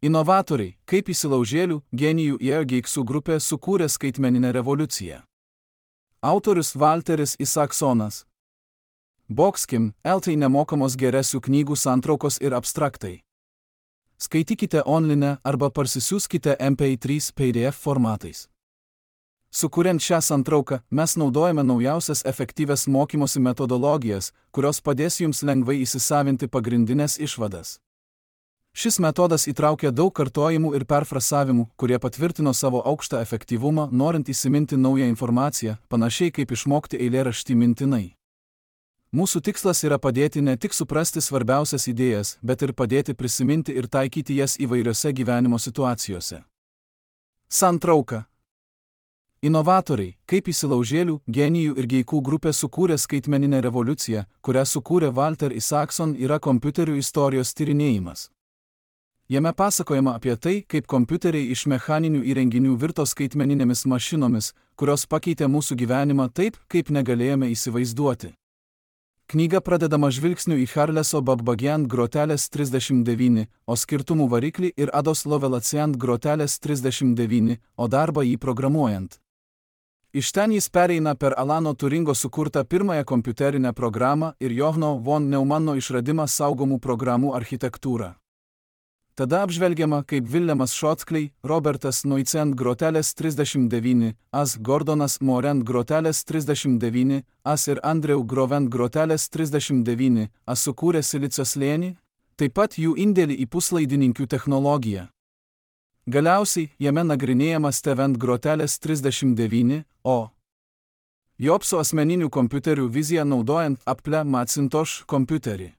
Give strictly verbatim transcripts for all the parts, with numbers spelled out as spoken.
Inovatoriai, kaip įsilaužėlių, genijų ir geiksų grupė sukūrė skaitmeninę revoliuciją. Autorius Walteris Isaacsonas. Boxkim, eltai nemokamos geresių knygų santraukos ir abstraktai. Skaitykite online arba parsisiųskite M P trys P D F formatais. Sukuriant šią santrauką, mes naudojame naujausias efektyvias mokymosi metodologijas, kurios padės jums lengvai įsisavinti pagrindinės išvadas. Šis metodas įtraukia daug kartojimų ir perfrasavimų, kurie patvirtino savo aukštą efektyvumą, norint įsiminti naują informaciją, panašiai kaip išmokti eilėraštį mintinai. Mūsų tikslas yra padėti ne tik suprasti svarbiausias idėjas, bet ir padėti prisiminti ir taikyti jas įvairiose gyvenimo situacijose. Santrauka. Inovatoriai, kaip įsilaužėlių, genijų ir geikų grupė sukūrė skaitmeninę revoliuciją, kurią sukūrė Walter Isaacson, yra kompiuterių istorijos tyrinėjimas. Jame pasakojama apie tai, kaip kompiuteriai iš mechaninių įrenginių virto skaitmeninėmis mašinomis, kurios pakeitė mūsų gyvenimą taip, kaip negalėjome įsivaizduoti. Knyga pradedama žvilgsniu į Charleso Babbagien grotelės trisdešimt devyni, o skirtumų variklį ir Ados Lovelaceant grotelės trisdešimt devyni, o darbą jį programuojant. Iš ten jis pereina per Alano Turingo sukurtą pirmąją kompiuterinę programą ir Johanno von Neumanno išradimą saugomų programų architektūrą. Tada apžvelgiama, kaip Viljamas Šotkley, Robertas Noicent grotelės trisdešimt devyni, As Gordonas Morent grotelės trisdešimt devyni, As ir Andrew Grovent grotelės trisdešimt devyni, As sukūrė silicio slėnį, taip pat jų indėlį į puslaidininkių technologiją. Galiausiai, jame nagrinėjama Stevent grotelės trisdešimt devyni, o Jobso asmeninių kompiuterių viziją naudojant Apple Macintosh kompiuterį.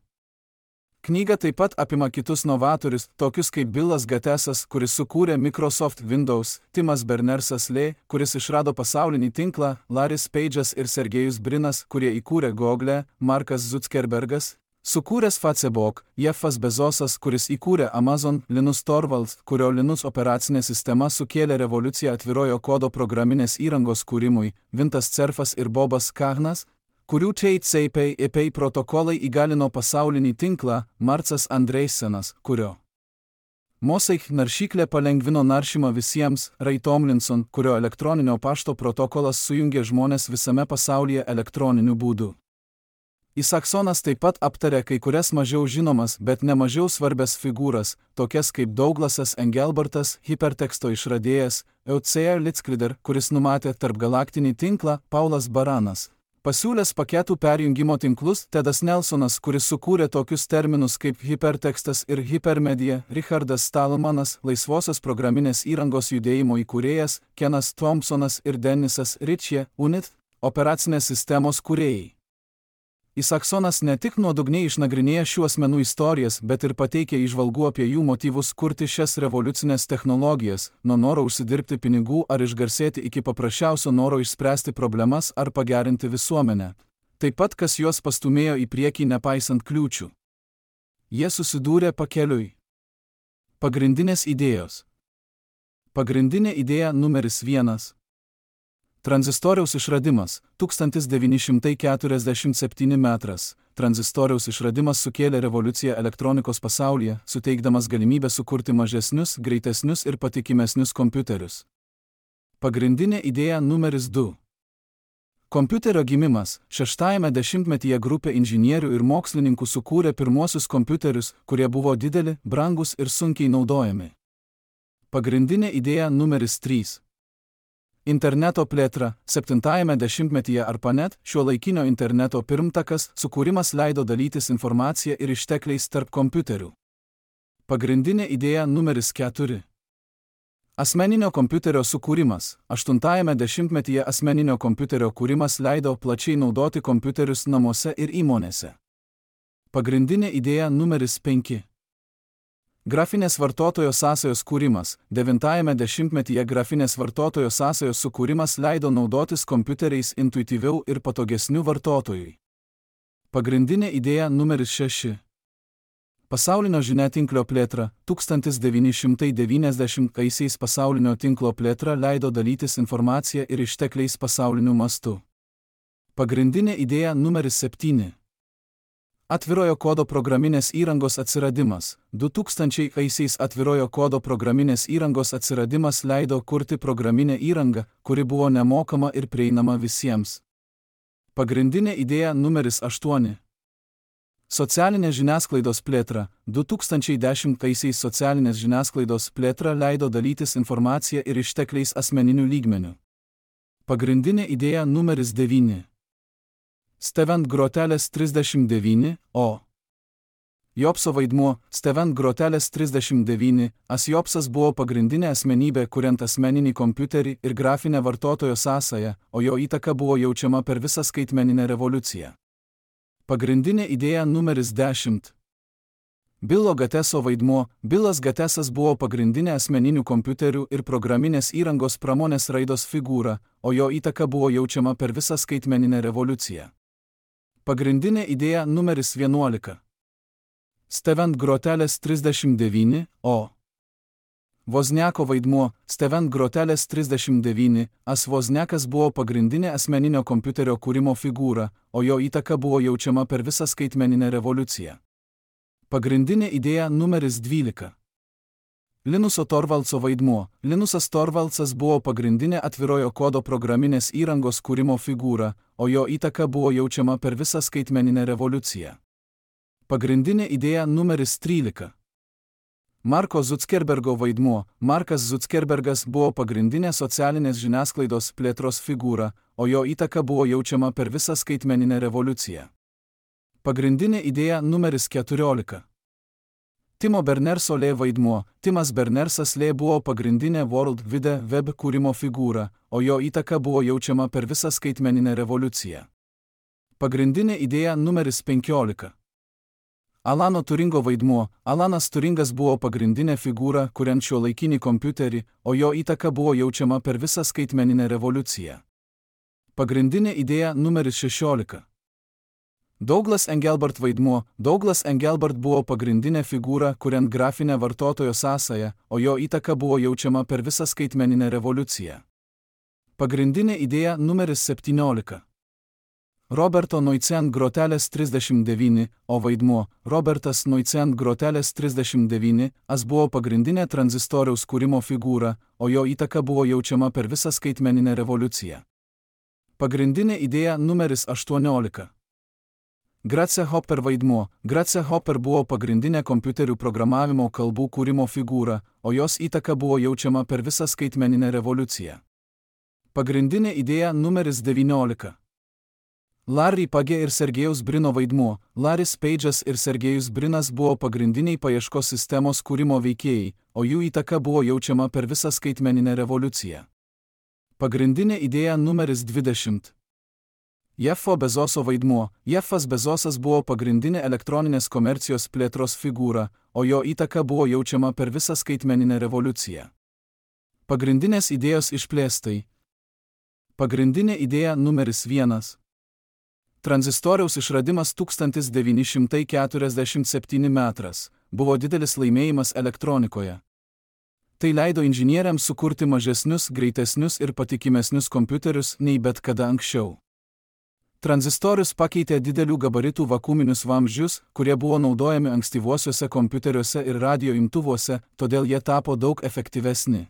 Knyga taip pat apima kitus novatorius, tokius kaip Billas Gatesas, kuris sukūrė Microsoft Windows, Timas Berners-Lee, kuris išrado pasaulinį tinklą, Larrys Page'as ir Sergejus Brinas, kurie įkūrė Google, Markas Zuckerbergas, sukūręs Facebook, Jeffas Bezosas, kuris įkūrė Amazon, Linus Torvalds, kurio Linus operacinė sistema sukėlė revoliuciją atvirojo kodo programinės įrangos kūrimui, Vintas Cerfas ir Bobas Kahnas, kurių T C P I P protokolai įgalino pasaulinį tinklą, Marcas Andreisenas, kurio Mosaic naršyklė palengvino naršymą visiems, Ray Tomlinson, kurio elektroninio pašto protokolas sujungė žmonės visame pasaulyje elektroniniu būdu. Isaacsonas taip pat aptarė kai kurias mažiau žinomas, bet ne mažiau svarbias figūras, tokias kaip Douglasas Engelbartas, hiperteksto išradėjas, Eucea Litzkrider, kuris numatė tarpgalaktinį tinklą, Paulas Baranas. Pasiūlęs paketų perjungimo tinklus, Tedas Nelsonas, kuris sukūrė tokius terminus kaip hipertekstas ir hipermedija, Richardas Stallmanas, laisvosios programinės įrangos judėjimo įkūrėjas, Kenas Thompsonas ir Denisas Ritchie, Unit, operacinės sistemos kūrėjai. Isaacsonas ne tik nuodugniai išnagrinėja šių asmenų istorijas, bet ir pateikė įžvalgų apie jų motyvus kurti šias revoliucinės technologijas, nuo noro užsidirbti pinigų ar išgarsėti iki paprasčiausio noro išspręsti problemas ar pagerinti visuomenę. Taip pat kas juos pastumėjo į priekį nepaisant kliūčių. Jie susidūrė pakeliui. Pagrindinės idėjos. Pagrindinė idėja numeris vienas. Tranzistoriaus išradimas, tūkstantis devyni šimtai keturiasdešimt septyni metras. Tranzistoriaus išradimas sukėlė revoliuciją elektronikos pasaulyje, suteikdamas galimybę sukurti mažesnius, greitesnius ir patikimesnius kompiuterius. Pagrindinė idėja numeris du. Kompiuterio gimimas. Šeštajame dešimtmetyje grupė inžinierių ir mokslininkų sukūrė pirmuosius kompiuterius, kurie buvo dideli, brangus ir sunkiai naudojami. Pagrindinė idėja numeris trys. Interneto plėtra. Septintajame dešimtmetyje ARPANET, šiuolaikinio interneto pirmtakas, sukūrimas leido dalytis informaciją ir ištekliais tarp kompiuterių. Pagrindinė idėja numeris keturi. Asmeninio kompiuterio sukūrimas. Aštuntajame dešimtmetyje asmeninio kompiuterio kūrimas leido plačiai naudoti kompiuterius namuose ir įmonėse. Pagrindinė idėja numeris penki. Grafinės vartotojo sąsajos kūrimas. Devintajame dešimtmetyje grafinės vartotojo sąsajos sukūrimas leido naudotis kompiuteriais intuityviau ir patogesniu vartotojui. Pagrindinė idėja numeris šeši. Pasaulinio žiniatinklio plėtra. tūkstantis devyni šimtai devyniasdešimtaisiais pasaulinio tinklo plėtra leido dalytis informaciją ir ištekliais pasauliniu mastu. Pagrindinė idėja numeris septyni. Atvirojo kodo programinės įrangos atsiradimas. du tūkstančiaisiais atvirojo kodo programinės įrangos atsiradimas leido kurti programinę įrangą, kuri buvo nemokama ir prieinama visiems. Pagrindinė idėja numeris aštuoni. Socialinės žiniasklaidos plėtra. du tūkstančiai dešimtaisiais socialinės žiniasklaidos plėtra leido dalytis informacija ir ištekliais asmeniniu lygmeniu. Pagrindinė idėja numeris devyni. Stevent grotelės trisdešimt devyni, o. Jobso vaidmuo. Stevent grotelės trisdešimt devyni, as Jobsas buvo pagrindinė asmenybė, kuriant asmeninį kompiuterį ir grafinę vartotojo sąsają, o jo įtaka buvo jaučiama per visą skaitmeninę revoliuciją. Pagrindinė idėja numeris dešimt. Bilo Gateso vaidmuo. Bilas Gatesas buvo pagrindinė asmeninių kompiuterių ir programinės įrangos pramonės raidos figūra, o jo įtaka buvo jaučiama per visą skaitmeninę revoliuciją. Pagrindinė idėja numeris vienuolika. Stevent grotelės trisdešimt devyni, o. Wozniako vaidmuo. Stevent grotelės trisdešimt devyni, as Wozniakas buvo pagrindinė asmeninio kompiuterio kūrimo figūra, o jo įtaka buvo jaučiama per visą skaitmeninę revoliuciją. Pagrindinė idėja numeris dvylika. Linuso Torvaldso vaidmuo. Linusas Torvaldsas buvo pagrindinė atvirojo kodo programinės įrangos kūrimo figūra, o jo įtaka buvo jaučiama per visą skaitmeninę revoliuciją. Pagrindinė idėja numeris trylika. Marko Zuckerbergo vaidmuo. Markas Zuckerbergas buvo pagrindinė socialinės žiniasklaidos plėtros figūra, o jo įtaka buvo jaučiama per visą skaitmeninę revoliuciją. Pagrindinė idėja numeris keturiolika. Timo Berners-Lee vaidmuo. Timas Berners-Lee buvo pagrindinė World Wide Web kūrimo figūra, o jo įtaka buvo jaučiama per visą skaitmeninę revoliuciją. Pagrindinė idėja numeris penkiolika. Alano Turingo vaidmuo. Alanas Turingas buvo pagrindinė figūra, kuriant šiuolaikinį kompiuterį, o jo įtaka buvo jaučiama per visą skaitmeninę revoliuciją. Pagrindinė idėja numeris šešiolika. Douglas Engelbart vaidmuo. Douglas Engelbart buvo pagrindinė figūra, kuriant grafinę vartotojo sąsają, o jo įtaka buvo jaučiama per visą skaitmeninę revoliuciją. Pagrindinė idėja numeris septyniolika. Roberto Noicent grotelės trisdešimt devyni, o vaidmuo. Robertas Noicent grotelės trisdešimt devyni, as buvo pagrindinė tranzistoriaus kūrimo figūra, o jo įtaka buvo jaučiama per visą skaitmeninę revoliuciją. Pagrindinė idėja numeris aštuoniolika. Grace Hopper vaidmuo. Grace Hopper buvo pagrindinė kompiuterių programavimo kalbų kūrimo figūra, o jos įtaka buvo jaučiama per visą skaitmeninę revoliuciją. Pagrindinė idėja numeris devyniolika. Larry Page ir Sergejaus Brino vaidmuo. Larrys Page'as ir Sergejus Brinas buvo pagrindiniai paieškos sistemos kūrimo veikėjai, o jų įtaka buvo jaučiama per visą skaitmeninę revoliuciją. Pagrindinė idėja numeris dvidešimt. Jeffo Bezoso vaidmuo. Jeffas Bezosas buvo pagrindinė elektroninės komercijos plėtros figūra, o jo įtaka buvo jaučiama per visą skaitmeninę revoliuciją. Pagrindinės idėjos išplėstai. Pagrindinė idėja numeris vienas. Tranzistoriaus išradimas tūkstantis devyni šimtai keturiasdešimt septyni metras buvo didelis laimėjimas elektronikoje. Tai leido inžinieriams sukurti mažesnius, greitesnius ir patikimesnius kompiuterius nei bet kada anksčiau. Tranzistorius pakeitė didelių gabaritų vakuuminius vamzdžius, kurie buvo naudojami ankstyvuosiuose kompiuteriuose ir radio imtuvuose, todėl jie tapo daug efektyvesni.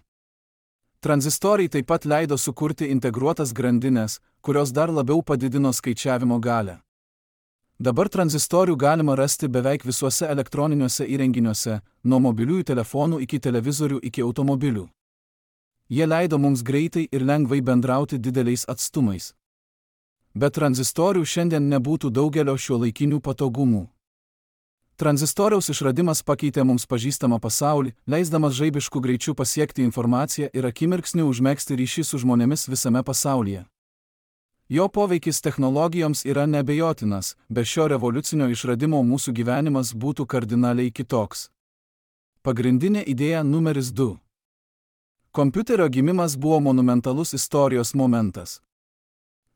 Tranzistoriai taip pat leido sukurti integruotas grandines, kurios dar labiau padidino skaičiavimo galią. Dabar tranzistorių galima rasti beveik visuose elektroniniuose įrenginiuose, nuo mobiliųjų telefonų iki televizorių iki automobilių. Jie leido mums greitai ir lengvai bendrauti dideliais atstumais. Be tranzistorių šiandien nebūtų daugelio šiuolaikinių patogumų. Tranzistoriaus išradimas pakeitė mums pažįstamą pasaulį, leisdamas žaibišku greičiu pasiekti informaciją ir akimirksniu užmegzti ryšį su žmonėmis visame pasaulyje. Jo poveikis technologijoms yra neabejotinas, be šio revoliucinio išradimo mūsų gyvenimas būtų kardinaliai kitoks. Pagrindinė idėja numeris du. Kompiuterio gimimas buvo monumentalus istorijos momentas.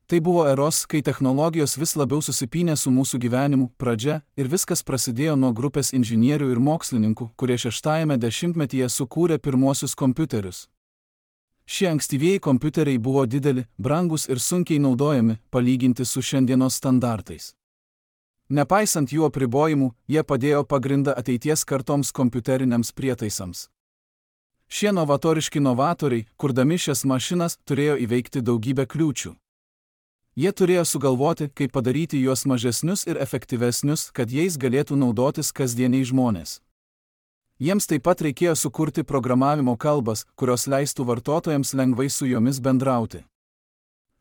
Tai buvo eros, kai technologijos vis labiau susipynė su mūsų gyvenimu pradžia ir viskas prasidėjo nuo grupės inžinierių ir mokslininkų, kurie šeštajame dešimtmetyje sukūrė pirmuosius kompiuterius. Šie ankstyvieji kompiuteriai buvo dideli, brangus ir sunkiai naudojami, palyginti su šiandienos standartais. Nepaisant jų apribojimų, jie padėjo pagrindą ateities kartoms kompiuteriniams prietaisams. Šie novatoriški novatoriai, kurdami šias mašinas, turėjo įveikti daugybę kliūčių. Jie turėjo sugalvoti, kaip padaryti juos mažesnius ir efektyvesnius, kad jais galėtų naudotis kasdieniai žmonės. Jiems taip pat reikėjo sukurti programavimo kalbas, kurios leistų vartotojams lengvai su jomis bendrauti.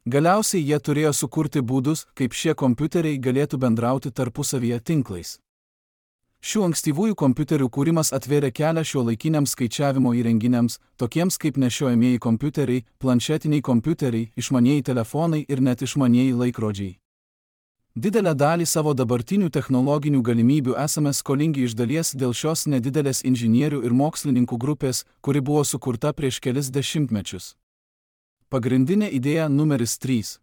Galiausiai jie turėjo sukurti būdus, kaip šie kompiuteriai galėtų bendrauti tarpusavyje tinklais. Šių ankstyvųjų kompiuterių kūrimas atvėrė kelią šiuolaikiniams skaičiavimo įrenginiams, tokiems kaip nešiojamieji kompiuteriai, planšetiniai kompiuteriai, išmanieji telefonai ir net išmanieji laikrodžiai. Didelę dalį savo dabartinių technologinių galimybių esame skolingi iš dalies dėl šios nedidelės inžinierių ir mokslininkų grupės, kuri buvo sukurta prieš kelis dešimtmečius. Pagrindinė idėja numeris trys.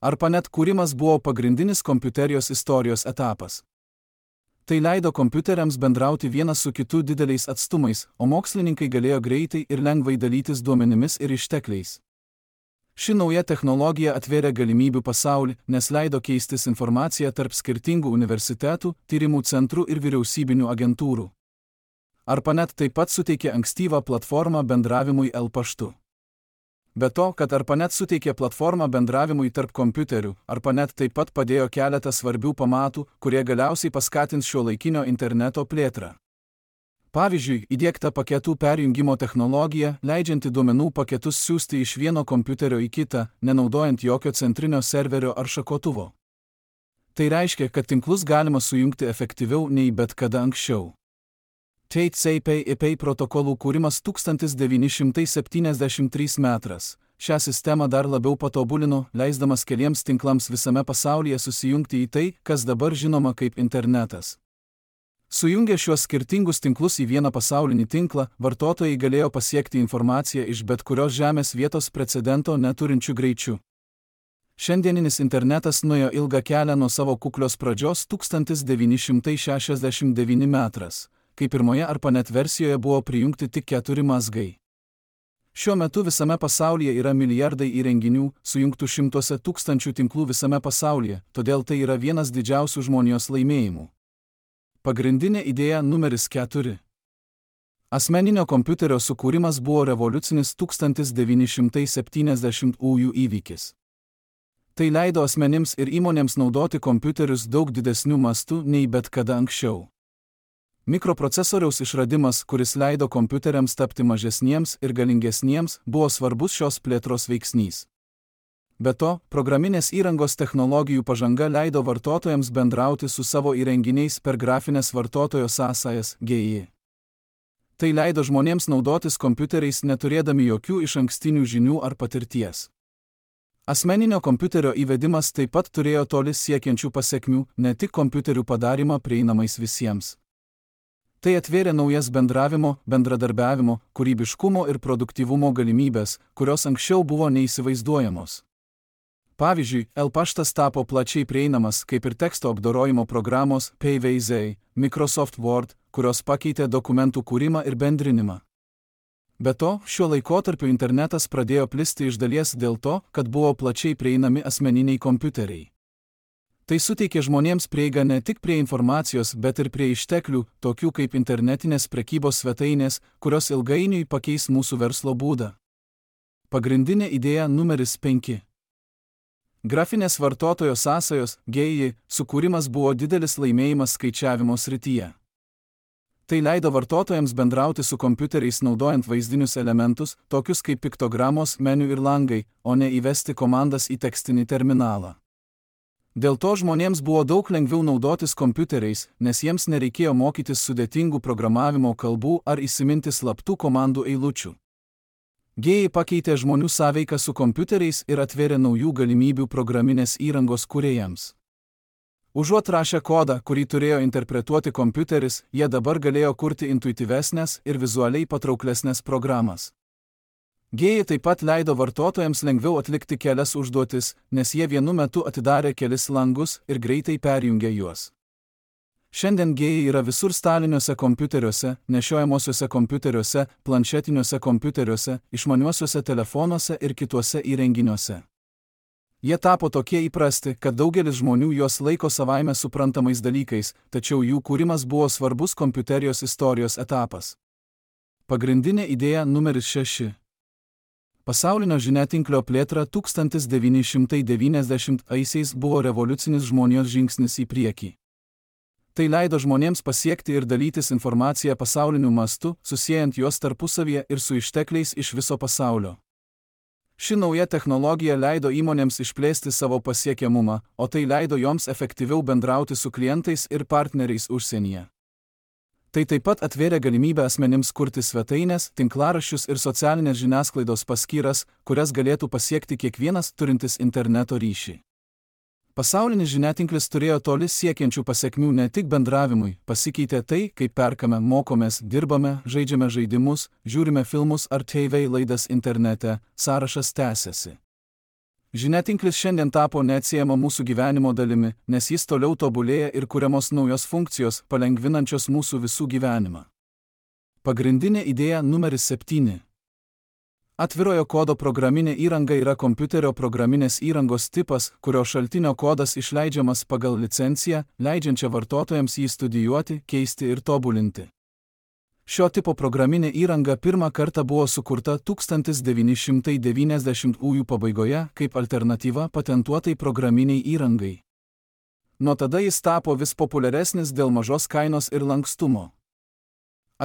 ARPANET kūrimas buvo pagrindinis kompiuterijos istorijos etapas. Tai leido kompiuteriams bendrauti vienas su kitu dideliais atstumais, o mokslininkai galėjo greitai ir lengvai dalytis duomenimis ir ištekliais. Ši nauja technologija atvėrė galimybių pasaulį, nes leido keistis informaciją tarp skirtingų universitetų, tyrimų centrų ir vyriausybinių agentūrų. ARPANET taip pat suteikė ankstyvą platformą bendravimui el paštu. Be to, kad ARPANET suteikė platformą bendravimui tarp kompiuterių, ARPANET taip pat padėjo keletą svarbių pamatų, kurie galiausiai paskatins šiuolaikinio interneto plėtrą. Pavyzdžiui, įdiegta paketų perjungimo technologija, leidžianti duomenų paketus siųsti iš vieno kompiuterio į kitą, nenaudojant jokio centrinio serverio ar šakotuvo. Tai reiškia, kad tinklus galima sujungti efektyviau nei bet kada anksčiau. T C P I P protokolų kūrimas tūkstantis devyni šimtai septyniasdešimt trys metras. Šią sistemą dar labiau patobulino, leisdamas keliems tinklams visame pasaulyje susijungti į tai, kas dabar žinoma kaip internetas. Sujungę šiuos skirtingus tinklus į vieną pasaulinį tinklą, vartotojai galėjo pasiekti informaciją iš bet kurios žemės vietos precedento neturinčių greičių. Šiandieninis internetas nuėjo ilgą kelią nuo savo kuklios pradžios tūkstantis devyni šimtai šešiasdešimt devyni metras, kai pirmoje ARPANET versijoje buvo prijungti tik keturi mazgai. Šiuo metu visame pasaulyje yra milijardai įrenginių, sujungtų šimtuose tūkstančių tinklų visame pasaulyje, todėl tai yra vienas didžiausių žmonijos laimėjimų. Pagrindinė idėja numeris keturi. Asmeninio kompiuterio sukūrimas buvo revoliucinis tūkstantis devyni šimtai septyniasdešimtųjų įvykis. Tai leido asmenims ir įmonėms naudoti kompiuterius daug didesnių mastų nei bet kada anksčiau. Mikroprocesoriaus išradimas, kuris leido kompiuteriams tapti mažesniems ir galingesniems, buvo svarbus šios plėtros veiksnys. Be to, programinės įrangos technologijų pažanga leido vartotojams bendrauti su savo įrenginiais per grafinės vartotojo sąsajas G I. Tai leido žmonėms naudotis kompiuteriais neturėdami jokių išankstinių žinių ar patirties. Asmeninio kompiuterio įvedimas taip pat turėjo toli siekiančių pasekmių, ne tik kompiuterių padarimą prieinamais visiems. Tai atvėrė naujas bendravimo, bendradarbiavimo, kūrybiškumo ir produktyvumo galimybės, kurios anksčiau buvo neįsivaizduojamos. Pavyzdžiui, el paštas tapo plačiai prieinamas, kaip ir teksto apdorojimo programos P V Z, Microsoft Word, kurios pakeitė dokumentų kūrimą ir bendrinimą. Be to, šiuo laikotarpiu internetas pradėjo plisti iš dalies dėl to, kad buvo plačiai prieinami asmeniniai kompiuteriai. Tai suteikė žmonėms prieigą ne tik prie informacijos, bet ir prie išteklių, tokių kaip internetinės prekybos svetainės, kurios ilgainiui pakeis mūsų verslo būdą. Pagrindinė idėja numeris penki. Grafinės vartotojo sąsajos G I sukūrimas buvo didelis laimėjimas skaičiavimo srityje. Tai leido vartotojams bendrauti su kompiuteriais naudojant vaizdinius elementus, tokius kaip piktogramos, meniu ir langai, o ne įvesti komandas į tekstinį terminalą. Dėl to žmonėms buvo daug lengviau naudotis kompiuteriais, nes jiems nereikėjo mokytis sudėtingų programavimo kalbų ar įsiminti slaptų komandų eilučių. G I pakeitė žmonių sąveiką su kompiuteriais ir atvėrė naujų galimybių programinės įrangos kūrėjams. Užuot rašę kodą, kurį turėjo interpretuoti kompiuteris, jie dabar galėjo kurti intuityvesnės ir vizualiai patrauklesnės programas. G I taip pat leido vartotojams lengviau atlikti kelias užduotis, nes jie vienu metu atidarė kelis langus ir greitai perjungė juos. Šiandien G I yra visur staliniuose kompiuteriuose, nešiojamosiuose kompiuteriuose, planšetiniuose kompiuteriuose, išmaniuosiuose telefonuose ir kituose įrenginiuose. Jie tapo tokie įprasti, kad daugelis žmonių juos laiko savaime suprantamais dalykais, tačiau jų kūrimas buvo svarbus kompiuterijos istorijos etapas. Pagrindinė idėja numeris šeši. Pasaulinio žiniatinklio plėtra tūkstantis devyni šimtai devyniasdešimtaisiais buvo revoliucinis žmonijos žingsnis į priekį. Tai leido žmonėms pasiekti ir dalytis informaciją pasauliniu mastu, susiejant juos tarpusavyje ir su ištekliais iš viso pasaulio. Ši nauja technologija leido įmonėms išplėsti savo pasiekiamumą, o tai leido joms efektyviau bendrauti su klientais ir partneriais užsienyje. Tai taip pat atvėrė galimybę asmenims kurti svetaines, tinklaraščius ir socialinės žiniasklaidos paskyras, kurias galėtų pasiekti kiekvienas turintis interneto ryšį. Pasaulinis žiniatinklis turėjo toli siekiančių pasekmių ne tik bendravimui, pasikeitė tai, kaip perkame, mokomės, dirbame, žaidžiame žaidimus, žiūrime filmus ar T V laidas internete, sąrašas tęsiasi. Žiniatinklis šiandien tapo neatsiejama mūsų gyvenimo dalimi, nes jis toliau tobulėja ir kuriamos naujos funkcijos, palengvinančios mūsų visų gyvenimą. Pagrindinė idėja numeris septyni. Atvirojo kodo programinė įranga yra kompiuterio programinės įrangos tipas, kurio šaltinio kodas išleidžiamas pagal licenciją, leidžiančią vartotojams jį studijuoti, keisti ir tobulinti. Šio tipo programinė įranga pirmą kartą buvo sukurta tūkstantis devyni šimtai devyniasdešimtųjų pabaigoje kaip alternatyva patentuotai programiniai įrangai. Nuo tada jis tapo vis populiaresnis dėl mažos kainos ir lankstumo.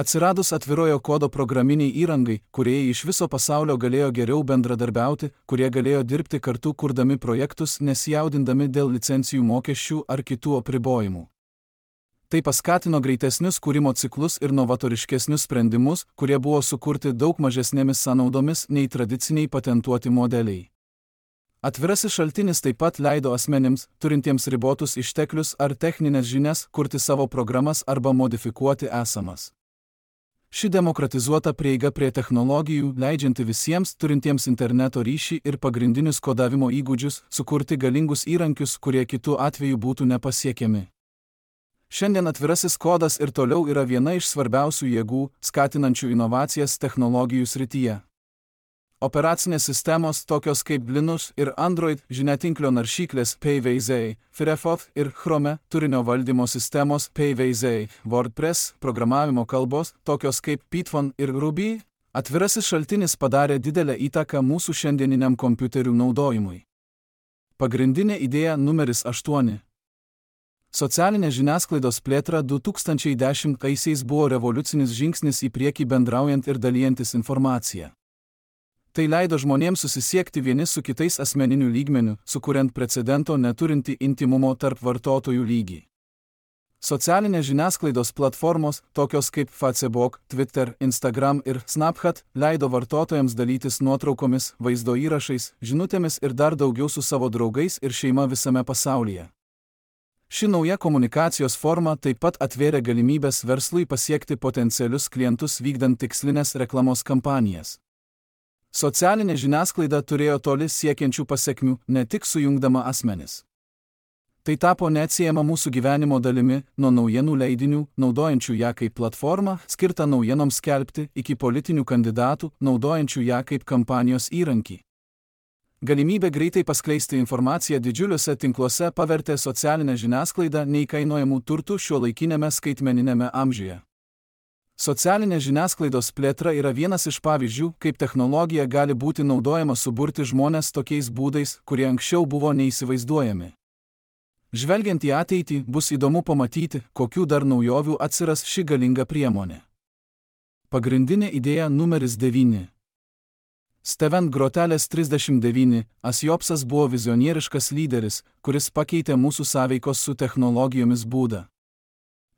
Atsiradus atvirojo kodo programiniai įrangai, kūrėjai iš viso pasaulio galėjo geriau bendradarbiauti, kurie galėjo dirbti kartu kurdami projektus, nesijaudindami dėl licencijų mokesčių ar kitų apribojimų. Tai paskatino greitesnius kūrimo ciklus ir novatoriškesnius sprendimus, kurie buvo sukurti daug mažesnėmis sąnaudomis nei tradiciniai patentuoti modeliai. Atvirasis šaltinis taip pat leido asmenims, turintiems ribotus išteklius ar techninės žinias, kurti savo programas arba modifikuoti esamas. Ši demokratizuota prieiga prie technologijų, leidžianti visiems turintiems interneto ryšį ir pagrindinius kodavimo įgūdžius, sukurti galingus įrankius, kurie kitų atveju būtų nepasiekiami. Šiandien atvirasis kodas ir toliau yra viena iš svarbiausių jėgų, skatinančių inovacijas technologijų srityje. Operacinės sistemos tokios kaip Linux ir Android, žiniatinklio naršyklės P V Z, Firefox ir Chrome, turinio valdymo sistemos P V Z, WordPress, programavimo kalbos tokios kaip Python ir Ruby, atvirasis šaltinis padarė didelę įtaką mūsų šiandieniniam kompiuterių naudojimui. Pagrindinė idėja numeris aštuoni. Socialinė žiniasklaidos plėtra du tūkstančiai dešimtaisiais buvo revoliucinis žingsnis į priekį bendraujant ir dalijantis informaciją. Tai leido žmonėms susisiekti vieni su kitais asmeniniu lygmeniu, sukuriant precedento neturinti intimumo tarp vartotojų lygį. Socialinės žiniasklaidos platformos, tokios kaip Facebook, Twitter, Instagram ir Snapchat, leido vartotojams dalytis nuotraukomis, vaizdo įrašais, žinutėmis ir dar daugiau su savo draugais ir šeima visame pasaulyje. Ši nauja komunikacijos forma taip pat atvėrė galimybės verslui pasiekti potencialius klientus vykdant tikslinės reklamos kampanijas. Socialinė žiniasklaida turėjo toli siekiančių pasekmių, ne tik sujungdama asmenis. Tai tapo neatsiejama mūsų gyvenimo dalimi, nuo naujienų leidinių, naudojančių ją kaip platformą, skirtą naujienoms skelbti, iki politinių kandidatų, naudojančių ją kaip kampanijos įrankį. Galimybė greitai paskleisti informaciją didžiuliuose tinkluose pavertė socialinę žiniasklaidą neįkainojamų turtų šiuolaikinėme skaitmeniniame amžiuje. Socialinė žiniasklaidos plėtra yra vienas iš pavyzdžių, kaip technologija gali būti naudojama suburti žmones tokiais būdais, kurie anksčiau buvo neįsivaizduojami. Žvelgiant į ateitį, bus įdomu pamatyti, kokių dar naujovių atsiras ši galinga priemonė. Pagrindinė idėja numeris devyni. Steven Grotelas trisdešimt devyni, Asiopsas buvo vizionieriškas lyderis, kuris pakeitė mūsų sąveikos su technologijomis būdą.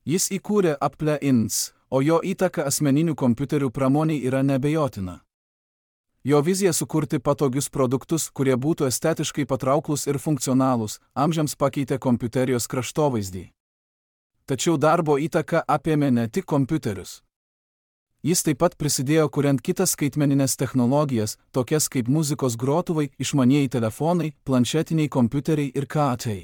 Jis įkūrė Apple Inc, o jo įtaka asmeninių kompiuterių pramoniai yra neabejotina. Jo vizija sukurti patogius produktus, kurie būtų estetiškai patrauklus ir funkcionalūs, amžiams pakeitė kompiuterijos kraštovaizdį. Tačiau darbo įtaka apėmė ne tik kompiuterius. Jis taip pat prisidėjo kuriant kitas skaitmeninės technologijas, tokias kaip muzikos grotuvai, išmanieji telefonai, planšetiniai kompiuteriai ir K T.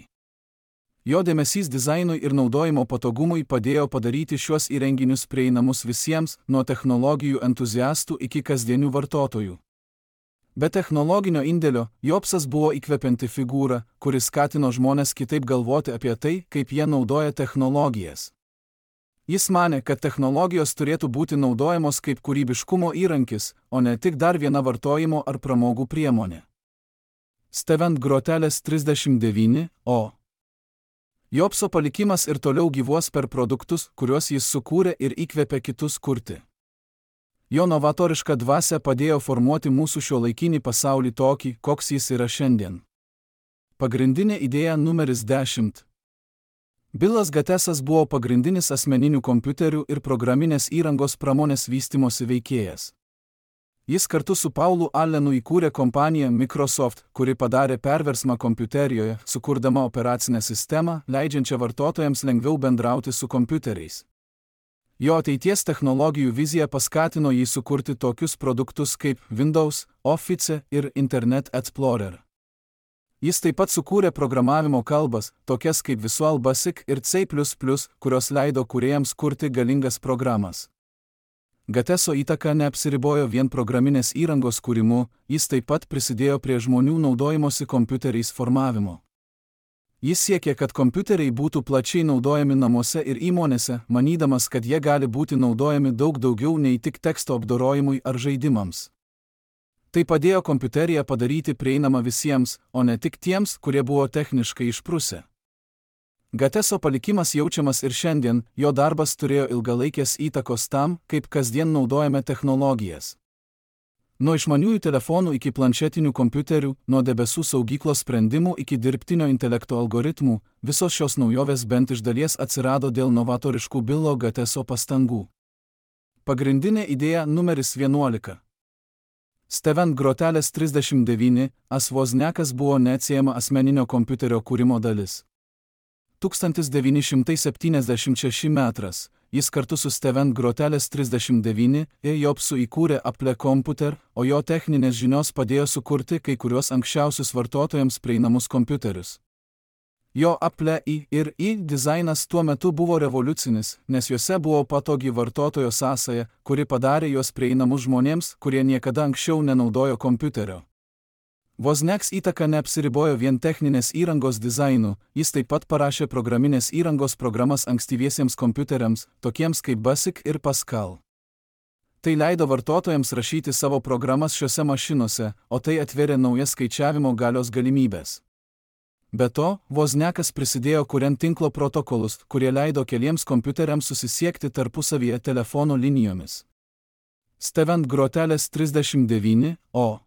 Jo dėmesys dizainui ir naudojimo patogumui padėjo padaryti šiuos įrenginius prieinamus visiems, nuo technologijų entuziastų iki kasdienių vartotojų. Be technologinio indėlio, Jobsas buvo įkvepianti figūra, kuris skatino žmonės kitaip galvoti apie tai, kaip jie naudoja technologijas. Jis manė, kad technologijos turėtų būti naudojamos kaip kūrybiškumo įrankis, o ne tik dar viena vartojimo ar pramogų priemonė. Steven Grotelis trisdešimt devyni O. Jobso palikimas ir toliau gyvuos per produktus, kuriuos jis sukūrė ir įkvėpė kitus kurti. Jo novatoriška dvasia padėjo formuoti mūsų šiuolaikinį pasaulį tokį, koks jis yra šiandien. Pagrindinė idėja numeris dešimt. Bilas Gatesas buvo pagrindinis asmeninių kompiuterių ir programinės įrangos pramonės vystymosi veikėjas. Jis kartu su Paulu Allenu įkūrė kompaniją Microsoft, kuri padarė perversmą kompiuterijoje, sukurdama operacinę sistemą, leidžiančią vartotojams lengviau bendrauti su kompiuteriais. Jo ateities technologijų vizija paskatino jį sukurti tokius produktus kaip Windows, Office ir Internet Explorer. Jis taip pat sukūrė programavimo kalbas, tokias kaip Visual Basic ir C plus plus, kurios leido kūrėjams kurti galingas programas. Gateso įtaka neapsiribojo vien programinės įrangos kūrimu, jis taip pat prisidėjo prie žmonių naudojimosi kompiuteriais formavimo. Jis siekė, kad kompiuteriai būtų plačiai naudojami namuose ir įmonėse, manydamas, kad jie gali būti naudojami daug daugiau nei tik teksto apdorojimui ar žaidimams. Tai padėjo kompiuteriją padaryti prieinamą visiems, o ne tik tiems, kurie buvo techniškai išprusę. Gateso palikimas jaučiamas ir šiandien, jo darbas turėjo ilgalaikės įtakos tam, kaip kasdien naudojame technologijas. Nuo išmaniųjų telefonų iki planšetinių kompiuterių, nuo debesų saugyklos sprendimų iki dirbtinio intelekto algoritmų, visos šios naujovės bent iš dalies atsirado dėl novatoriškų Bilo Gateso pastangų. Pagrindinė idėja numeris vienuolika. Steven Grotelis trisdešimt devyni as Wozniakas buvo neatsiejama asmeninio kompiuterio kūrimo dalis. tūkstantis devyni šimtai septyniasdešimt šeši metras. Jis kartu su Steven Grotelis trisdešimt devyni ir Jobsu įkūrė Apple Computer, o jo techninės žinios padėjo sukurti kai kuriuos anksčiausius vartotojams prieinamus kompiuterius. Jo Apple I ir I dizainas tuo metu buvo revoliucinis, nes juose buvo patogi vartotojo sąsaja, kuri padarė juos prieinamus žmonėms, kurie niekada anksčiau nenaudojo kompiuterio. Wozniaks įtaka neapsiribojo vien techninės įrangos dizainu, jis taip pat parašė programinės įrangos programas ankstyviesiems kompiuteriams, tokiems kaip Basic ir Pascal. Tai leido vartotojams rašyti savo programas šiose mašinose, o tai atvėrė naujas skaičiavimo galios galimybės. Be to, Wozniakas prisidėjo kuriant tinklo protokolus, kurie leido keliems kompiuteriams susisiekti tarpusavyje telefono linijomis. Steven Grotelis trisdešimt devyni O.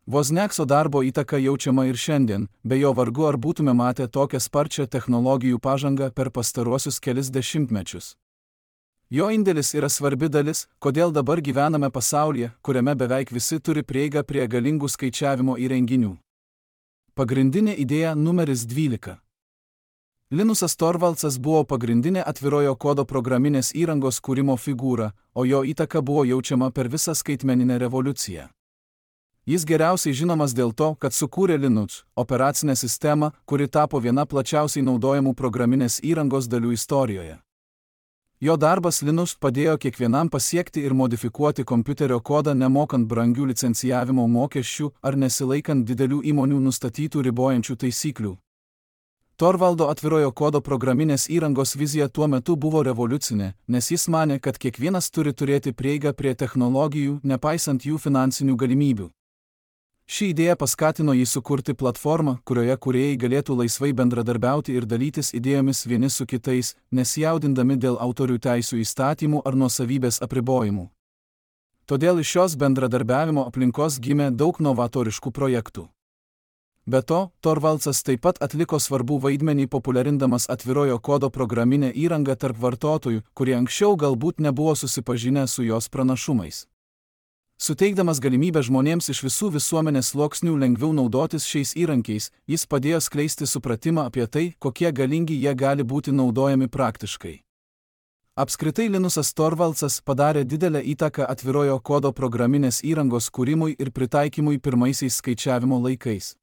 Wozniakso darbo įtaka jaučiama ir šiandien, be jo vargu ar būtume matę tokią sparčią technologijų pažangą per pastaruosius kelis dešimtmečius. Jo indėlis yra svarbi dalis, kodėl dabar gyvename pasaulyje, kuriame beveik visi turi prieigą prie galingų skaičiavimo įrenginių. Pagrindinė idėja numeris dvylika. Linusas Torvaldsas buvo pagrindinė atvirojo kodo programinės įrangos kūrimo figūra, o jo įtaka buvo jaučiama per visą skaitmeninę revoliuciją. Jis geriausiai žinomas dėl to, kad sukūrė Linux, operacinę sistemą, kuri tapo viena plačiausiai naudojamų programinės įrangos dalių istorijoje. Jo darbas Linux padėjo kiekvienam pasiekti ir modifikuoti kompiuterio kodą nemokant brangių licencijavimo mokesčių ar nesilaikant didelių įmonių nustatytų ribojančių taisyklių. Torvaldo atvirojo kodo programinės įrangos vizija tuo metu buvo revoliucinė, nes jis manė, kad kiekvienas turi turėti prieigą prie technologijų, nepaisant jų finansinių galimybių. Ši idėja paskatino jį sukurti platformą, kurioje kūrėjai galėtų laisvai bendradarbiauti ir dalytis idėjomis vieni su kitais, nesijaudindami dėl autorių teisių įstatymų ar nuosavybės apribojimų. Todėl iš šios bendradarbiavimo aplinkos gimė daug novatoriškų projektų. Be to, Torvaldsas taip pat atliko svarbų vaidmenį populiarindamas atvirojo kodo programinę įrangą tarp vartotojų, kurie anksčiau galbūt nebuvo susipažinę su jos pranašumais. Suteikdamas galimybę žmonėms iš visų visuomenės sluoksnių lengviau naudotis šiais įrankiais, jis padėjo skleisti supratimą apie tai, kokie galingi jie gali būti naudojami praktiškai. Apskritai Linusas Torvaldsas padarė didelę įtaką atvirojo kodo programinės įrangos kūrimui ir pritaikymui pirmaisiais skaičiavimo laikais.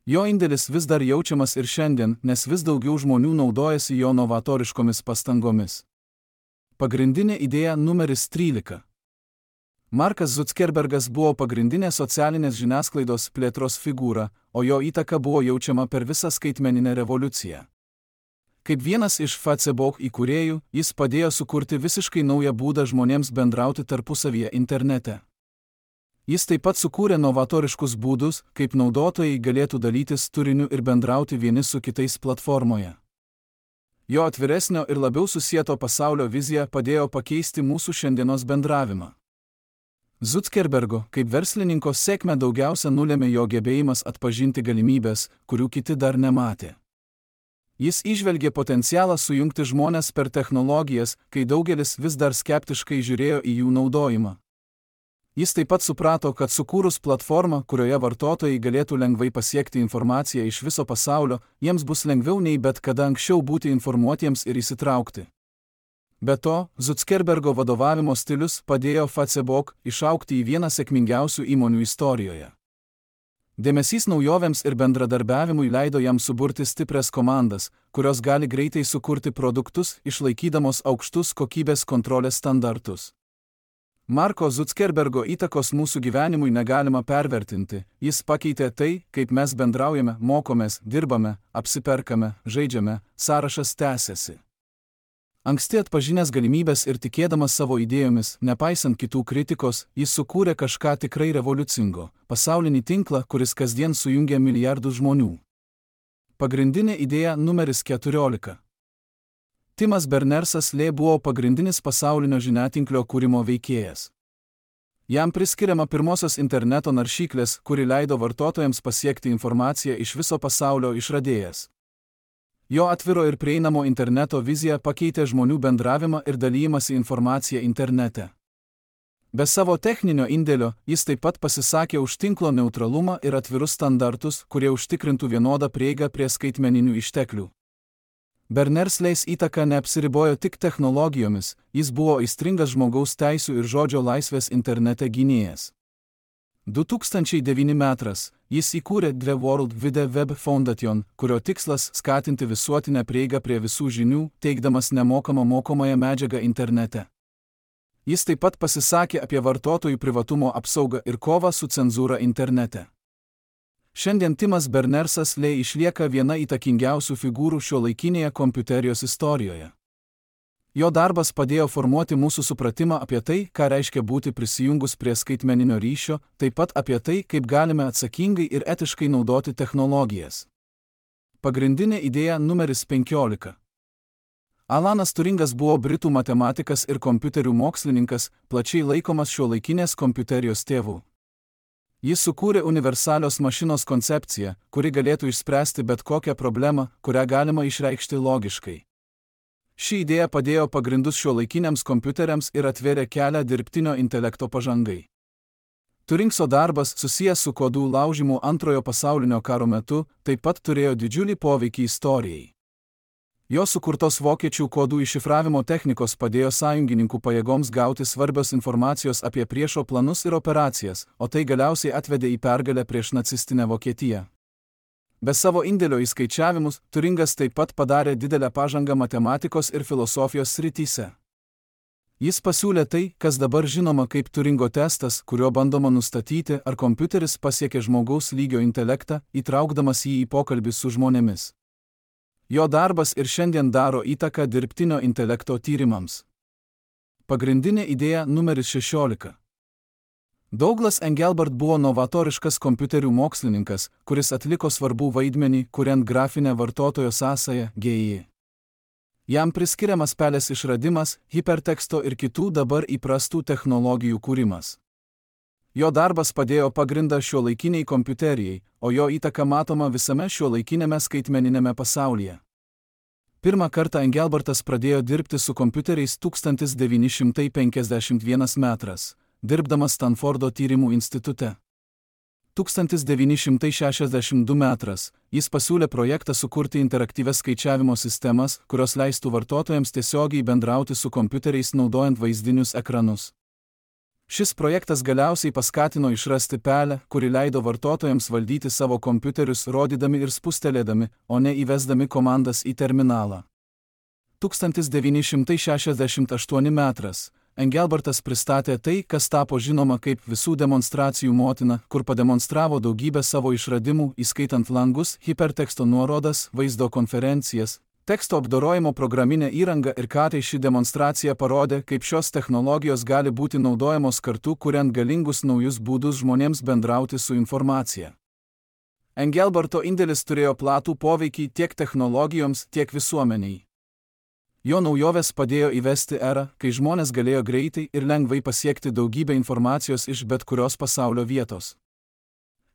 Jo indėlis vis dar jaučiamas ir šiandien, nes vis daugiau žmonių naudojasi jo novatoriškomis pastangomis. Pagrindinė idėja numeris trylika. Markas Zuckerbergas buvo pagrindinė socialinės žiniasklaidos plėtros figūra, o jo įtaka buvo jaučiama per visą skaitmeninę revoliuciją. Kaip vienas iš Facebook įkūrėjų, jis padėjo sukurti visiškai naują būdą žmonėms bendrauti tarpusavyje internete. Jis taip pat sukūrė novatoriškus būdus, kaip naudotojai galėtų dalytis turiniu ir bendrauti vieni su kitais platformoje. Jo atviresnio ir labiau susieto pasaulio vizija padėjo pakeisti mūsų šiandienos bendravimą. Zuckerbergo, kaip verslininko sėkmę daugiausia nulėmė jo gebėjimas atpažinti galimybės, kurių kiti dar nematė. Jis įžvelgė potencialą sujungti žmones per technologijas, kai daugelis vis dar skeptiškai žiūrėjo į jų naudojimą. Jis taip pat suprato, kad sukūrus platformą, kurioje vartotojai galėtų lengvai pasiekti informaciją iš viso pasaulio, jiems bus lengviau nei bet kada anksčiau būti informuotiems ir įsitraukti. Be to, Zuckerbergo vadovavimo stilius padėjo Facebook išaugti į vieną sėkmingiausių įmonių istorijoje. Dėmesys naujovėms ir bendradarbiavimui leido jam suburti stiprias komandas, kurios gali greitai sukurti produktus, išlaikydamos aukštus kokybės kontrolės standartus. Marko Zuckerbergo įtakos mūsų gyvenimui negalima pervertinti, jis pakeitė tai, kaip mes bendraujame, mokomės, dirbame, apsiperkame, žaidžiame, sąrašas tęsiasi. Anksti atpažinęs galimybės ir tikėdamas savo idėjomis, nepaisant kitų kritikos, jis sukūrė kažką tikrai revoliucingo – pasaulinį tinklą, kuris kasdien sujungia milijardus žmonių. Pagrindinė idėja numeris keturiolika. Timas Berners-Lee buvo pagrindinis pasaulinio žiniatinklio kūrimo veikėjas. Jam priskiriama pirmosios interneto naršyklės, kuri leido vartotojams pasiekti informaciją iš viso pasaulio išradėjas. Jo atviro ir prieinamo interneto vizija pakeitė žmonių bendravimą ir dalijimąsi informaciją internete. Be savo techninio indėlio, jis taip pat pasisakė už tinklo neutralumą ir atvirus standartus, kurie užtikrintų vienodą prieigą prie skaitmeninių išteklių. Berners-Lee's įtaka neapsiribojo tik technologijomis, jis buvo aistringas žmogaus teisių ir žodžio laisvės internete gynėjas. du tūkstančiai devinti metais jis įkūrė The World Wide Web Foundation, kurio tikslas skatinti visuotinę prieigą prie visų žinių, teikdamas nemokamą mokomąją medžiagą internete. Jis taip pat pasisakė apie vartotojų privatumo apsaugą ir kovą su cenzūra internete. Šiandien Timas Berners-Lee išlieka viena įtakingiausių figūrų šiuolaikinėje kompiuterijos istorijoje. Jo darbas padėjo formuoti mūsų supratimą apie tai, ką reiškia būti prisijungus prie skaitmeninio ryšio, taip pat apie tai, kaip galime atsakingai ir etiškai naudoti technologijas. Pagrindinė idėja numeris penkiolika. Alanas Turingas buvo britų matematikas ir kompiuterių mokslininkas, plačiai laikomas šiuolaikinės kompiuterijos tėvu. Jis sukūrė universalios mašinos koncepciją, kuri galėtų išspręsti bet kokią problemą, kurią galima išreikšti logiškai. Ši idėja padėjo pagrindus šiuolaikiniams kompiuteriams ir atvėrė kelią dirbtinio intelekto pažangai. Turingso darbas, susijęs su kodų laužimu antrojo pasaulinio karo metu, taip pat turėjo didžiulį poveikį istorijai. Jo sukurtos vokiečių kodų iššifravimo technikos padėjo sąjungininkų pajėgoms gauti svarbios informacijos apie priešo planus ir operacijas, o tai galiausiai atvedė į pergalę prieš nacistinę Vokietiją. Be savo indėlio į skaičiavimus, Turingas taip pat padarė didelę pažangą matematikos ir filosofijos srityse. Jis pasiūlė tai, kas dabar žinoma kaip Turingo testas, kuriuo bandoma nustatyti, ar kompiuteris pasiekė žmogaus lygio intelektą, įtraukdamas jį į pokalbį su žmonėmis. Jo darbas ir šiandien daro įtaką dirbtinio intelekto tyrimams. Pagrindinė idėja numeris šešiolika. Douglas Engelbart buvo novatoriškas kompiuterių mokslininkas, kuris atliko svarbų vaidmenį, kuriant grafinę vartotojo sąsają G I. Jam priskiriamas pelės išradimas, hiperteksto ir kitų dabar įprastų technologijų kūrimas. Jo darbas padėjo pagrindą šiuolaikiniai kompiuterijai, o jo įtaka matoma visame šiuolaikinėme skaitmeninėme pasaulyje. Pirmą kartą Engelbartas pradėjo dirbti su kompiuteriais tūkstantis devyni šimtai penkiasdešimt pirmas metais, dirbdamas Stanfordo tyrimų institute. tūkstantis devyni šimtai šešiasdešimt du metais jis pasiūlė projektą sukurti interaktyvias skaičiavimo sistemas, kurios leistų vartotojams tiesiogiai bendrauti su kompiuteriais naudojant vaizdinius ekranus. Šis projektas galiausiai paskatino išrasti pelę, kuri leido vartotojams valdyti savo kompiuterius rodydami ir spustelėdami, o ne įvesdami komandas į terminalą. tūkstantis devyni šimtai šešiasdešimt aštuoni metais Engelbartas pristatė tai, kas tapo žinoma kaip visų demonstracijų motina, kur pademonstravo daugybę savo išradimų, įskaitant langus, hiperteksto nuorodas, vaizdo konferencijas, teksto apdorojimo programinę įrangą ir ką tai ši demonstracija parodė, kaip šios technologijos gali būti naudojamos kartu, kuriant galingus naujus būdus žmonėms bendrauti su informacija. Engelbarto indėlis turėjo platų poveikį tiek technologijoms, tiek visuomeniai. Jo naujovės padėjo įvesti erą, kai žmonės galėjo greitai ir lengvai pasiekti daugybę informacijos iš bet kurios pasaulio vietos.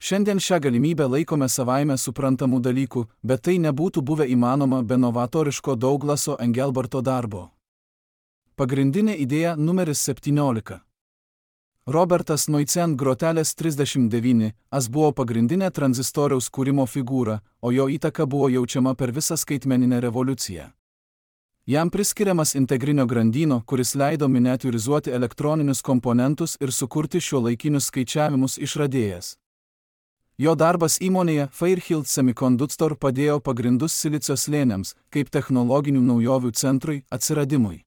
Šiandien šią galimybę laikome savaime suprantamų dalykų, bet tai nebūtų buvę įmanoma be novatoriško Douglaso Engelbarto darbo. Pagrindinė idėja numeris septyniolika. Robertas Noicen grotelės trisdešimt devyni as buvo pagrindinė tranzistoriaus kūrimo figūra, o jo įtaka buvo jaučiama per visą skaitmeninę revoliuciją. Jam priskiriamas integrinio grandyno, kuris leido miniatiūrizuoti elektroninius komponentus ir sukurti šiuolaikinius skaičiavimus išradėjas. Jo darbas įmonėje Fairchild Semiconductor padėjo pagrindus silicio slėniams, kaip technologinių naujovių centrui, atsiradimui.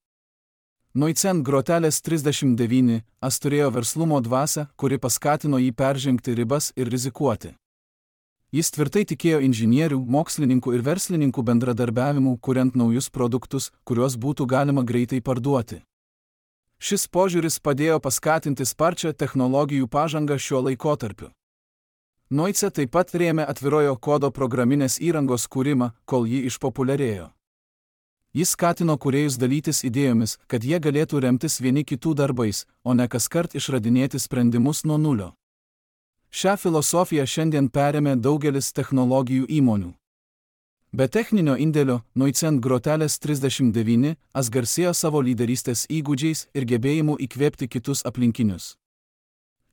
Noicen grotelės trisdešimt devyni as turėjo verslumo dvasią, kuri paskatino jį peržengti ribas ir rizikuoti. Jis tvirtai tikėjo inžinierių, mokslininkų ir verslininkų bendradarbiavimu, kuriant naujus produktus, kuriuos būtų galima greitai parduoti. Šis požiūris padėjo paskatinti sparčią technologijų pažangą šiuo laikotarpiu. Noice taip pat rėmė atvirojo kodo programinės įrangos kūrimą, kol ji išpopuliarėjo. Jis skatino kūrėjus dalytis idėjomis, kad jie galėtų remtis vieni kitų darbais, o ne kaskart išradinėti sprendimus nuo nulio. Šią filosofiją šiandien perėmė daugelis technologijų įmonių. Be techninio indėlio, Noicen grotelės trisdešimt devyni as garsėjo savo lyderystės įgūdžiais ir gebėjimu įkvėpti kitus aplinkinius.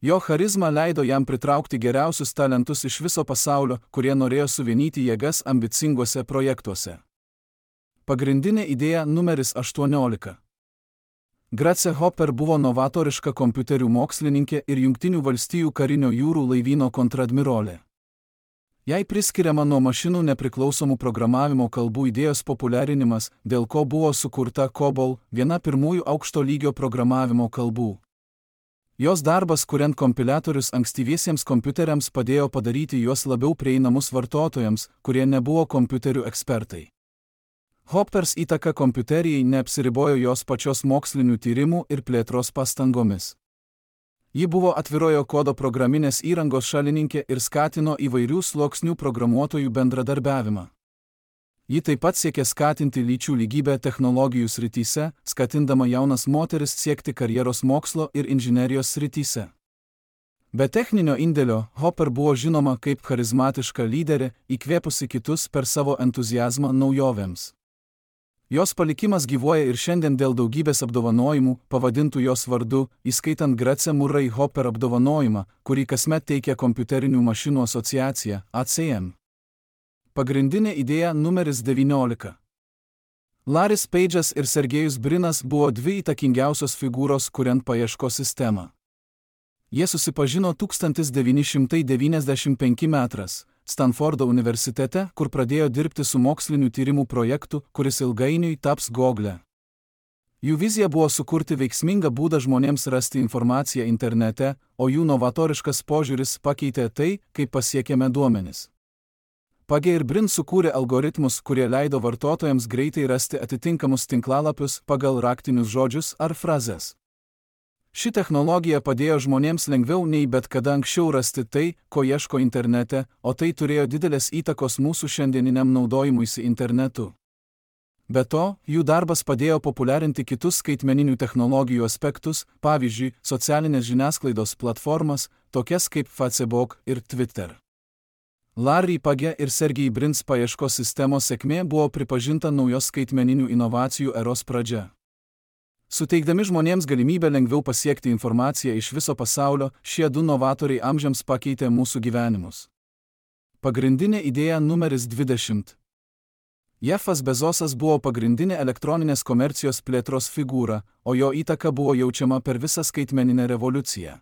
Jo charizma leido jam pritraukti geriausius talentus iš viso pasaulio, kurie norėjo suvienyti jėgas ambicinguose projektuose. Pagrindinė idėja numeris aštuoniolika. Grace Hopper buvo novatoriška kompiuterių mokslininkė ir Jungtinių valstijų karinio jūrų laivyno kontradmirolė. Jai priskiriama nuo mašinų nepriklausomų programavimo kalbų idėjos populiarinimas, dėl ko buvo sukurta COBOL, viena pirmųjų aukšto lygio programavimo kalbų. Jos darbas kuriant kompiliatorius ankstyviesiems kompiuteriams padėjo padaryti juos labiau prieinamus vartotojams, kurie nebuvo kompiuterių ekspertai. Hoppers įtaka kompiuterijai neapsiribojo jos pačios mokslinių tyrimų ir plėtros pastangomis. Ji buvo atvirojo kodo programinės įrangos šalininkė ir skatino įvairių sluoksnių programuotojų bendradarbiavimą. Ji taip pat siekė skatinti lyčių lygybę technologijų srityse, skatindama jaunas moteris siekti karjeros mokslo ir inžinerijos srityse. Be techninio indėlio, Hopper buvo žinoma kaip charizmatiška lyderė, įkvėpusi kitus per savo entuziazmą naujovėms. Jos palikimas gyvuoja ir šiandien dėl daugybės apdovanojimų, pavadintų jos vardu, įskaitant Grace Murray Hopper apdovanojimą, kurį kasmet teikia kompiuterinių mašinų asociacija A C M. Pagrindinė idėja numeris devyniolika. Laris Page'as ir Sergejus Brinas buvo dvi įtakingiausios figūros kuriant paieškos sistemą. Jie susipažino tūkstantis devyni šimtai devyniasdešimt penki metrais Stanfordo universitete, kur pradėjo dirbti su mokslinių tyrimų projektu, kuris ilgainiui taps Google. Jų vizija buvo sukurti veiksmingą būdą žmonėms rasti informaciją internete, o jų novatoriškas požiūris pakeitė tai, kaip pasiekėme duomenis. Page ir Brin sukūrė algoritmus, kurie leido vartotojams greitai rasti atitinkamus tinklalapius pagal raktinius žodžius ar frazes. Ši technologija padėjo žmonėms lengviau nei bet kada anksčiau rasti tai, ko ieško internete, o tai turėjo didelės įtakos mūsų šiandieniniam naudojimuisi internetu. Be to, jų darbas padėjo populiarinti kitus skaitmeninių technologijų aspektus, pavyzdžiui, socialinės žiniasklaidos platformas, tokias kaip Facebook ir Twitter. Larry Page ir Sergej Brins paieškos sistemos sėkmė buvo pripažinta naujos skaitmeninių inovacijų eros pradžia. Suteikdami žmonėms galimybę lengviau pasiekti informaciją iš viso pasaulio, šie du novatoriai amžiams pakeitė mūsų gyvenimus. Pagrindinė idėja numeris dvidešimt. Jeffas Bezosas buvo pagrindinė elektroninės komercijos plėtros figūra, o jo įtaka buvo jaučiama per visą skaitmeninę revoliuciją.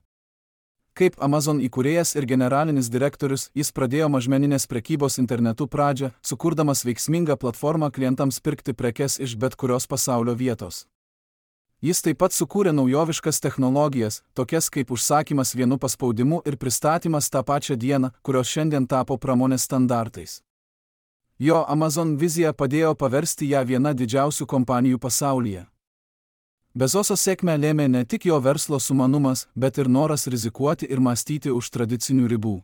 Kaip Amazon įkūrėjas ir generalinis direktorius, jis pradėjo mažmeninės prekybos internetu pradžią, sukurdamas veiksmingą platformą klientams pirkti prekes iš bet kurios pasaulio vietos. Jis taip pat sukūrė naujoviškas technologijas, tokias kaip užsakymas vienu paspaudimu ir pristatymas tą pačią dieną, kurios šiandien tapo pramonės standartais. Jo Amazon vizija padėjo paversti ją viena didžiausių kompanijų pasaulyje. Bezoso sėkmę lėmė ne tik jo verslo sumanumas, bet ir noras rizikuoti ir mąstyti už tradicinių ribų.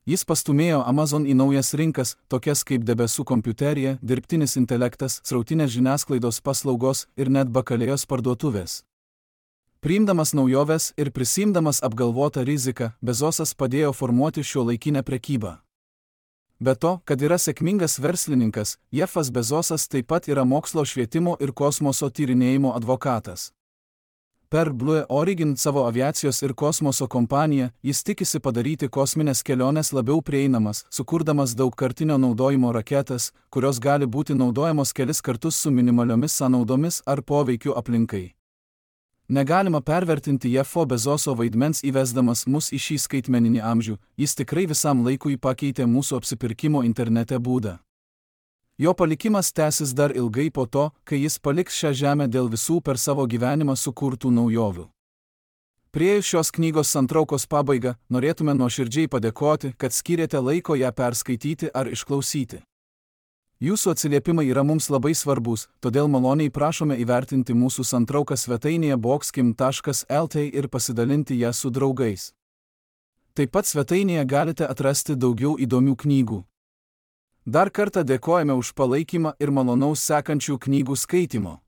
Jis pastumėjo Amazon į naujas rinkas, tokias kaip debesų kompiuterija, dirbtinis intelektas, srautinės žiniasklaidos paslaugos ir net bakalėjos parduotuvės. Priimdamas naujoves ir prisiimdamas apgalvotą riziką, Bezosas padėjo formuoti šiuolaikinę prekybą. Be to, kad yra sėkmingas verslininkas, Jeffas Bezosas taip pat yra mokslo, švietimo ir kosmoso tyrinėjimo advokatas. Per Blue Origin savo aviacijos ir kosmoso kompaniją jis tikisi padaryti kosminės keliones labiau prieinamas, sukurdamas daugkartinio naudojimo raketas, kurios gali būti naudojamos kelis kartus su minimaliomis sąnaudomis ar poveikiu aplinkai. Negalima pervertinti Jeffo Bezoso vaidmens įvesdamas mus į šį skaitmeninį amžių, jis tikrai visam laikui pakeitė mūsų apsipirkimo internete būdą. Jo palikimas tęsis dar ilgai po to, kai jis paliks šią žemę dėl visų per savo gyvenimą sukurtų naujovių. Priėjus šios knygos santraukos pabaigą, norėtume nuoširdžiai padėkoti, kad skyrėte laiko ją perskaityti ar išklausyti. Jūsų atsiliepimai yra mums labai svarbus, todėl maloniai prašome įvertinti mūsų santrauką svetainėje boxkim taškas lt ir pasidalinti ją su draugais. Taip pat svetainėje galite atrasti daugiau įdomių knygų. Dar kartą dėkojame už palaikymą ir malonaus sekančių knygų skaitimo.